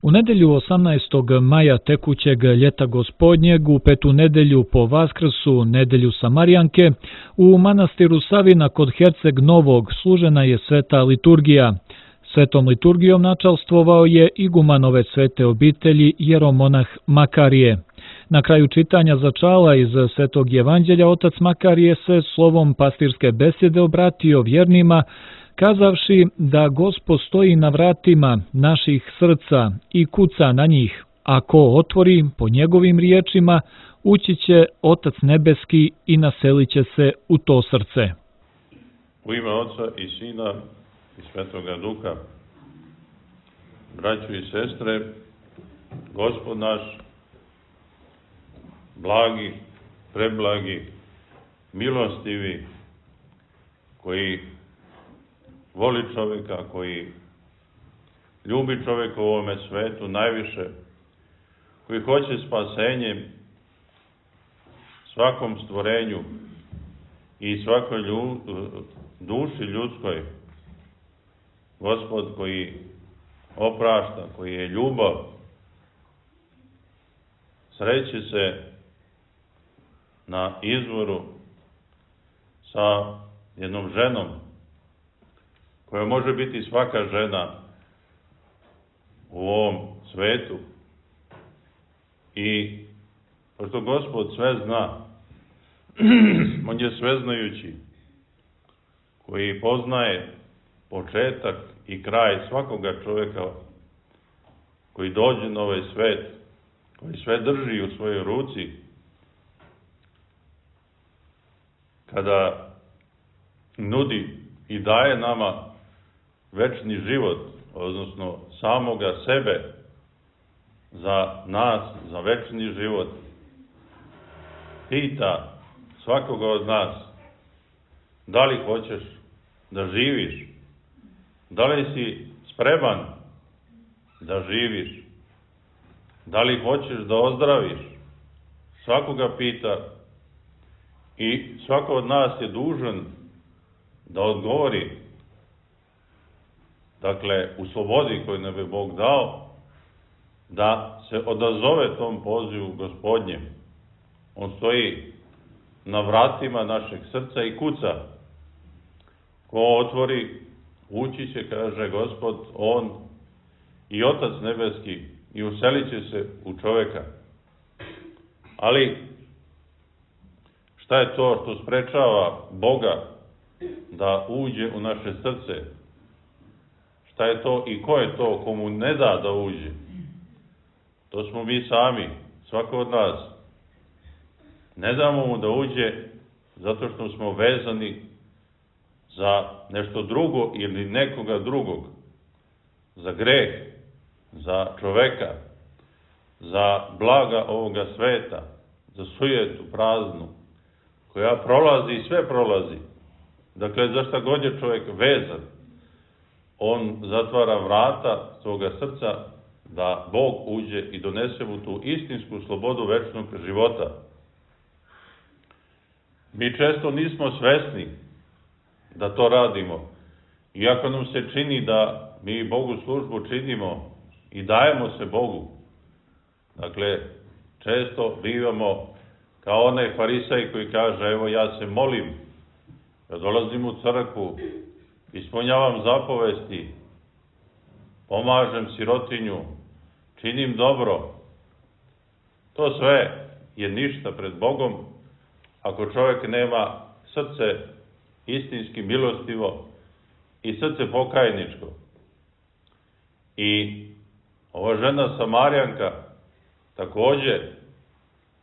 U nedelju 18. maja tekućeg ljeta gospodnjeg, u petu nedelju po Vaskrsu, nedelju Samarijanke, u manastiru Savina kod Herceg Novog služena je sveta liturgija. Svetom liturgijom načalstvovao je iguman ove svete obitelji jeromonah Makarije. Na kraju čitanja začala iz Svetog evanđelja otac Makarije se slovom pastirske besede obratio vjernima, kazavši da Gospod stoji na vratima naših srca i kuca na njih, a ko otvori po njegovim riječima, ući će Otac nebeski i naselit će se u to srce. U ime Oca i Sina i Svetoga Duha, braćo i sestre, Gospod naš, blagi, preblagi, milostivi, koji voli čovjeka, koji ljubi čovjeka u ovome svetu najviše, koji hoće spasenje svakom stvorenju i svakoj duši ljudskoj. Gospod koji oprašta, koji je ljubav, sreće se na izvoru sa jednom ženom, koja može biti svaka žena u ovom svetu. I pošto Gospod sve zna, on je sveznajući, koji poznaje početak i kraj svakoga čovjeka koji dođe na ovaj svet, koji sve drži u svojoj ruci, kada nudi i daje nama večni život, odnosno samoga sebe za nas, za večni život, pita svakoga od nas da li hoćeš da živiš, da li si spreman da živiš, da li hoćeš da ozdraviš, svakoga pita i svako od nas je dužan da odgovori, dakle, u slobodi koju nam je Bog dao, da se odazove tom pozivu Gospodnjem. On stoji na vratima našeg srca i kuca. Ko otvori, ući će, kaže Gospod, on i Otac nebeski, i uselit će se u čovjeka. Ali, šta je to što sprečava Boga da uđe u naše srce? Šta je to i ko je to komu ne da uđe? To smo mi sami, svako od nas. Ne damo mu da uđe zato što smo vezani za nešto drugo ili nekoga drugog. Za greh, za čoveka, za blaga ovoga sveta, za sujetu praznu, koja prolazi i sve prolazi. Dakle, za šta god je čovjek vezan, on zatvara vrata svoga srca da Bog uđe i donese mu tu istinsku slobodu večnog života. Mi često nismo svesni da to radimo, iako nam se čini da mi Bogu službu činimo i dajemo se Bogu. Dakle, često bivamo kao onaj farisej koji kaže, evo ja se molim, ja dolazim u crkvu, ispunjavam zapovesti, pomažem sirotinju, činim dobro. To sve je ništa pred Bogom ako čovjek nema srce istinski milostivo i srce pokajničko. I ova žena Samarijanka također,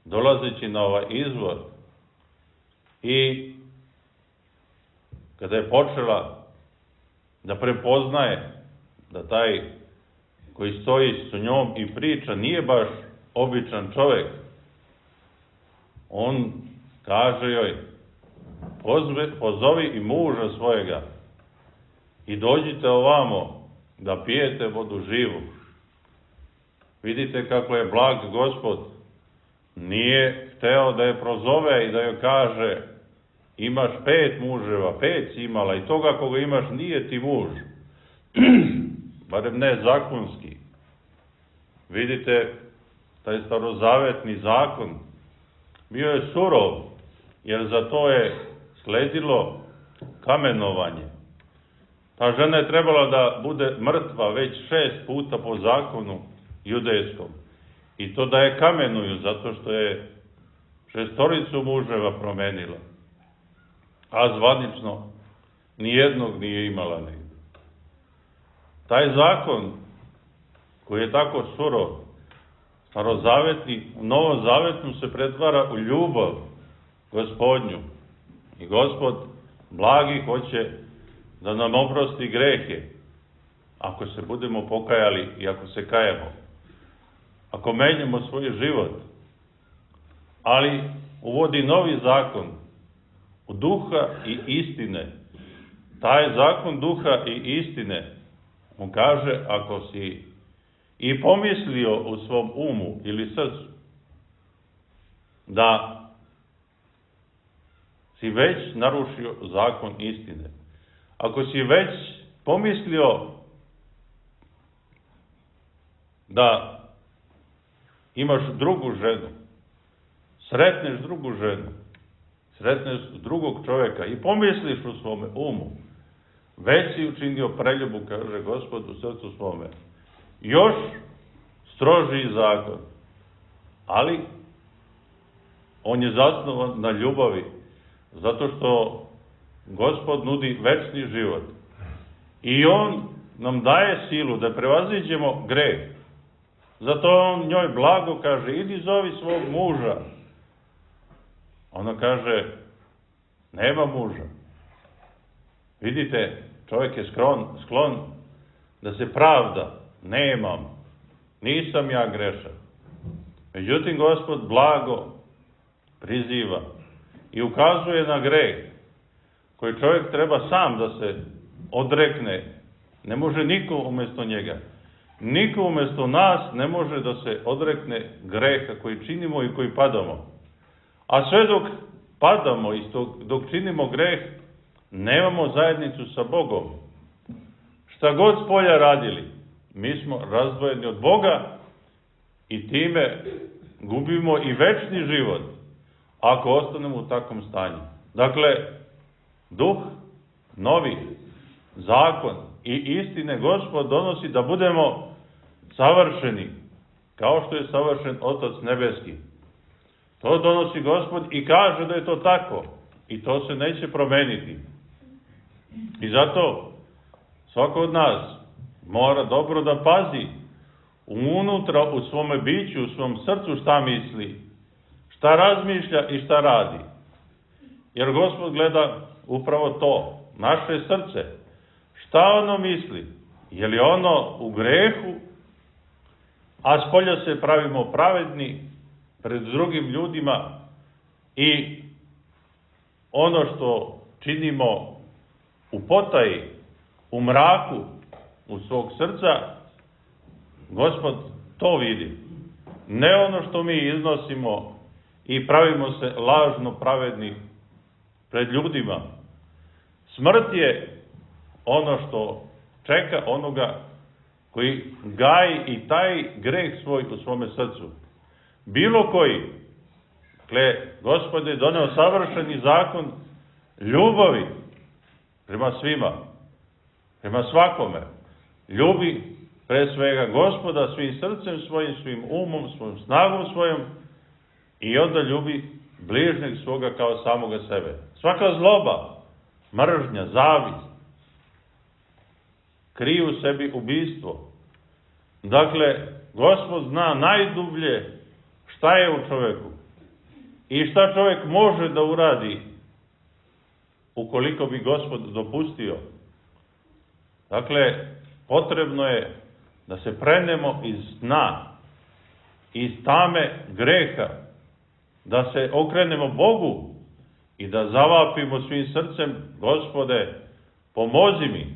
dolazeći na ovaj izvor i kada je počela da prepoznaje da taj koji stoji s njom i priča nije baš običan čovjek, on kaže joj, pozovi i muža svojega i dođite ovamo da pijete vodu živu. Vidite kako je blag Gospod. Nije hteo da je prozove i da joj kaže, imaš 5 muževa, 5 si imala i toga koga imaš nije ti muž. Barem ne zakonski. Vidite, taj starozavetni zakon bio je surov, jer za to je sledilo kamenovanje. Ta žena je trebala da bude mrtva već 6 puta po zakonu judejskom. I to da je kamenuju, zato što je 6 muževa promenila. A zvanično nijednog nije imala negdje. Taj zakon, koji je tako surov, starozavetni, u novozavetnom se pretvara u ljubav Gospodnju. I Gospod blagi hoće da nam oprosti grehe, ako se budemo pokajali i ako se kajemo, ako menjamo svoj život, ali uvodi novi zakon u duha i istine. Taj zakon duha i istine mu kaže, ako si i pomislio u svom umu ili srcu da si već narušio zakon istine, ako si već pomislio da imaš drugu ženu, sretneš drugu ženu, sretneš drugog čovjeka i pomisliš u svome umu, već si učinio preljubu, kaže Gospod, u srcu svome. Još strožiji zakon, ali on je zasnovan na ljubavi, zato što Gospod nudi večni život. I on nam daje silu da prevaziđemo greh. Zato on njoj blago kaže, idi zovi svog muža. Ona kaže, nema muža. Vidite, čovjek je sklon da se pravda, nemam, nisam ja grešan. Međutim, Gospod blago priziva i ukazuje na greh koji čovjek treba sam da se odrekne. Ne može niko umjesto njega. Niko umjesto nas ne može da se odrekne greha koji činimo i koji padamo. A sve dok padamo i dok činimo greh, nemamo zajednicu sa Bogom. Šta god s polja radili, mi smo razdvojeni od Boga i time gubimo i večni život, ako ostanemo u takvom stanju. Dakle, duh, novi zakon i istine Gospod donosi da budemo savršeni, kao što je savršen Otac nebeski. To donosi Gospod i kaže da je to tako. I to se neće promeniti. I zato svako od nas mora dobro da pazi unutra u svome biću, u svom srcu šta misli, šta razmišlja i šta radi. Jer Gospod gleda upravo to, naše srce. Šta ono misli? Je li ono u grehu, a spolja se pravimo pravedni pred drugim ljudima i ono što činimo u potaji, u mraku, u svog srca, Gospod to vidi. Ne ono što mi iznosimo i pravimo se lažno pravedni pred ljudima. Smrt je ono što čeka onoga koji gaji i taj greh svoj u svome srcu. Bilo koji. Dakle, Gospod je doneo savršeni zakon ljubavi prema svima, prema svakome. Ljubi pre svega Gospoda svim srcem svojim, svim umom, svojom snagom svojom i onda ljubi bližnjeg svoga kao samoga sebe. Svaka zloba, mržnja, zavist, kriju u sebi ubistvo. Dakle, Gospod zna najdublje šta je u čoveku i šta čovjek može da uradi ukoliko bi Gospod dopustio. Dakle, potrebno je da se prenemo iz sna, iz tame greha, da se okrenemo Bogu i da zavapimo svim srcem, Gospode, pomozi mi.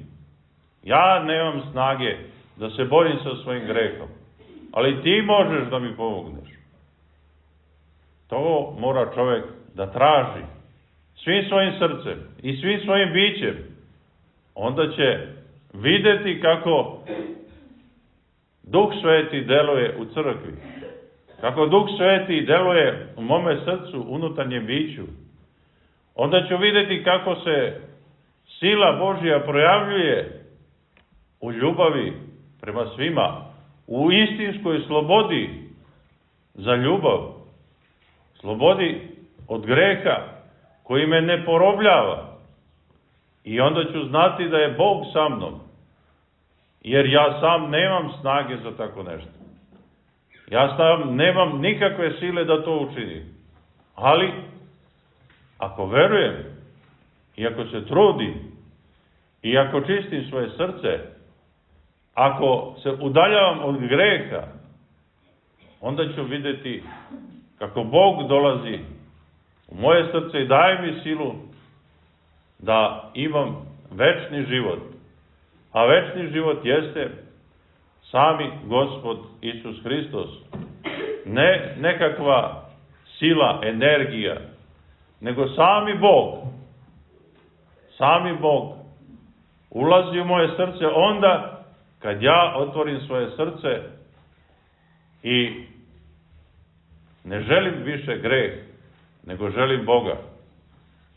Ja nemam snage da se borim sa svojim grehom, ali ti možeš da mi pomogneš. To mora čovjek da traži svim svojim srcem i svim svojim bićem. Onda će videti kako Duh Sveti deluje u crkvi, kako Duh Sveti deluje u mome srcu, unutarnjem biću, onda ću vidjeti kako se sila Božja projavljuje u ljubavi prema svima, u istinskoj slobodi za ljubav, slobodi od greha koji me ne porobljava. I onda ću znati da je Bog sa mnom, jer ja sam nemam snage za tako nešto. Ja sam nemam nikakve sile da to učinim. Ali, ako verujem, i ako se trudim, i ako čistim svoje srce, ako se udaljavam od greha, onda ću vidjeti kako Bog dolazi u moje srce i daje mi silu da imam večni život. A večni život jeste sami Gospod Isus Hristos. Ne nekakva sila, energija, nego sami Bog. Sami Bog ulazi u moje srce onda kad ja otvorim svoje srce i ne želim više greh, nego želim Boga.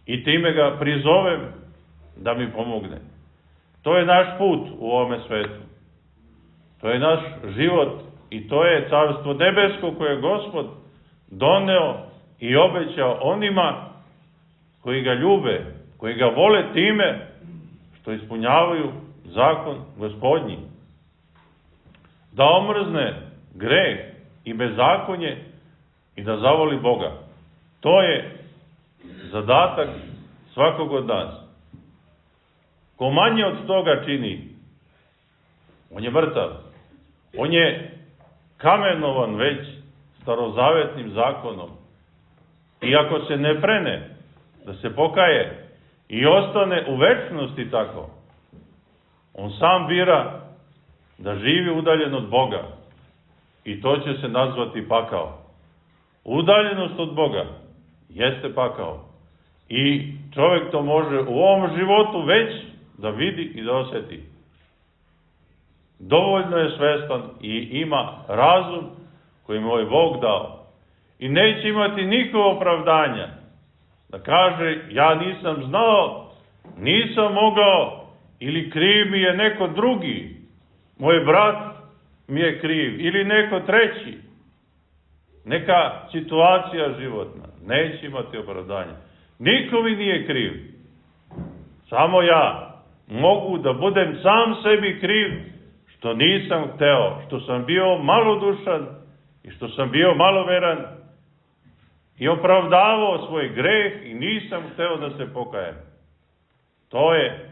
I time ga prizovem da mi pomogne. To je naš put u ovome svetu. To je naš život i to je carstvo nebesko koje je Gospod doneo i obećao onima koji ga ljube, koji ga vole time što ispunjavaju zakon Gospodnji. Da omrzne greh i bezakonje i da zavoli Boga. To je zadatak svakog od nas. Ko manje od toga čini, on je mrtav. On je kamenovan već starozavetnim zakonom. I ako se ne prene, da se pokaje i ostane u večnosti tako, on sam bira da živi udaljen od Boga. I to će se nazvati pakao. Udaljenost od Boga jeste pakao. I čovjek to može u ovom životu već da vidi i da osjeti. Dovoljno je svestan i ima razum koji mu je Bog dao. I neće imati nikakvo opravdanja da kaže ja nisam znao, nisam mogao ili kriv mi je neko drugi. Moj brat mi je kriv ili neko treći. Neka situacija životna. Neće imati opravdanja. Niko mi nije kriv. Samo ja mogu da budem sam sebi kriv što nisam hteo, što sam bio malodušan i što sam bio maloveran i opravdavao svoj greh i nisam hteo da se pokajem. To je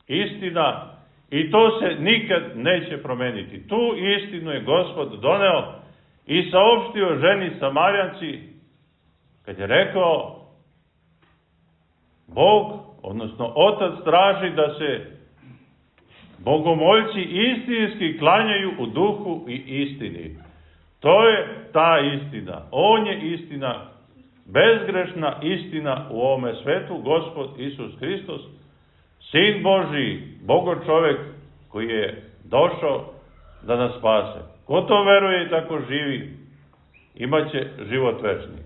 istina i to se nikad neće promeniti. Tu istinu je Gospod doneo i saopštio ženi Samarjanci kad je rekao Bog, odnosno Otac traži da se bogomoljci istinski klanjaju u duhu i istini. To je ta istina. On je istina, bezgrešna istina u ovome svetu, Gospod Isus Hristos, Sin Božiji, Bogočovek koji je došao da nas spase. Ko to veruje i tako živi, imaće život večni.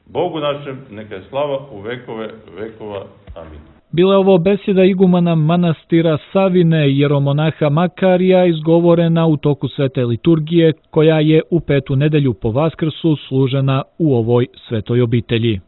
Bogu našem neka je slava u vekove vekova. Amin. Bila je ovo besjeda igumana manastira Savine jeromonaha Makarija izgovorena u toku svete liturgije koja je u petu nedelju po Vaskrsu služena u ovoj svetoj obitelji.